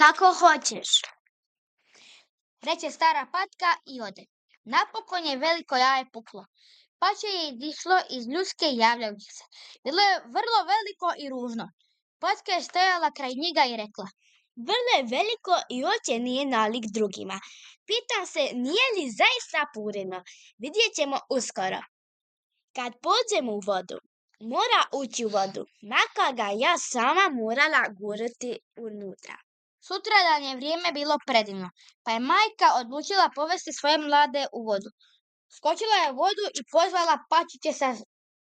Kako hoćeš, reče stara patka i ode. Napokon je veliko jaje puklo. Pače je izišlo iz ljuske javljajući se. Bilo je vrlo veliko i ružno. Patka je stajala kraj njega i rekla: Vrlo je veliko i oče nije nalik drugima. Pitam se, nije li zaista purino? Vidjet ćemo uskoro. Kad pođem u vodu, mora ući u vodu, makar ga ja sama morala gurati unutra. Sutradan je vrijeme bilo predivno, pa je majka odlučila povesti svoje mlade u vodu. Skočila je u vodu i pozvala pačiće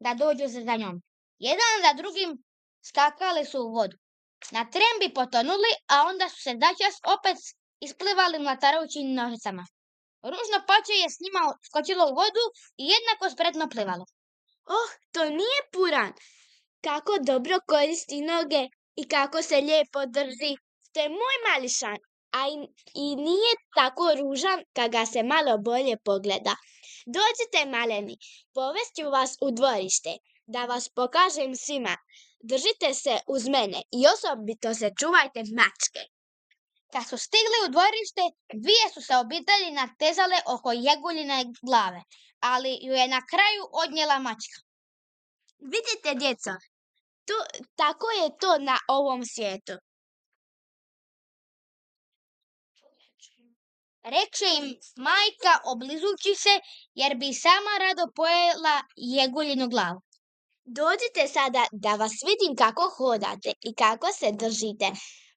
da dođu za njom. Jedan za drugim skakali su u vodu. Na tren bi potonuli, a onda su se začas opet isplivali mlatarajući nožicama. Ružno pače je s njima skočilo u vodu i jednako spretno plivalo. Oh, to nije puran! Kako dobro koristi noge i kako se lijepo drži. To je moj mališan, a i nije tako ružan kad ga se malo bolje pogleda. Dođite, maleni, povest ću vas u dvorište, da vas pokažem svima. Držite se uz mene i osobito se čuvajte mačke. Kad su stigli u dvorište, dvije su se obitelji natezale oko Jeguljine glave, ali ju je na kraju odnijela mačka. Vidite, djeco, tako je to na ovom svijetu. Rekše im majka oblizujući se, jer bi sama rado pojela Jeguljinu glavu. Dođite sada da vas vidim kako hodate i kako se držite.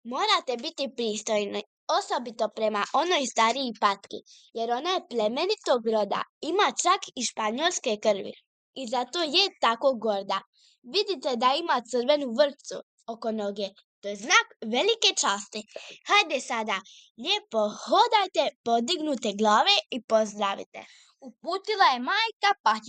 Morate biti pristojni, osobito prema onoj stariji patki, jer ona je plemenitog roda, ima čak i španjolske krvi. I zato je tako gorda. Vidite da ima crvenu vrpcu oko noge. To je znak velike časti. Hajde sada, lijepo hodajte, podignute glave i pozdravite. Uputila je majka pačića.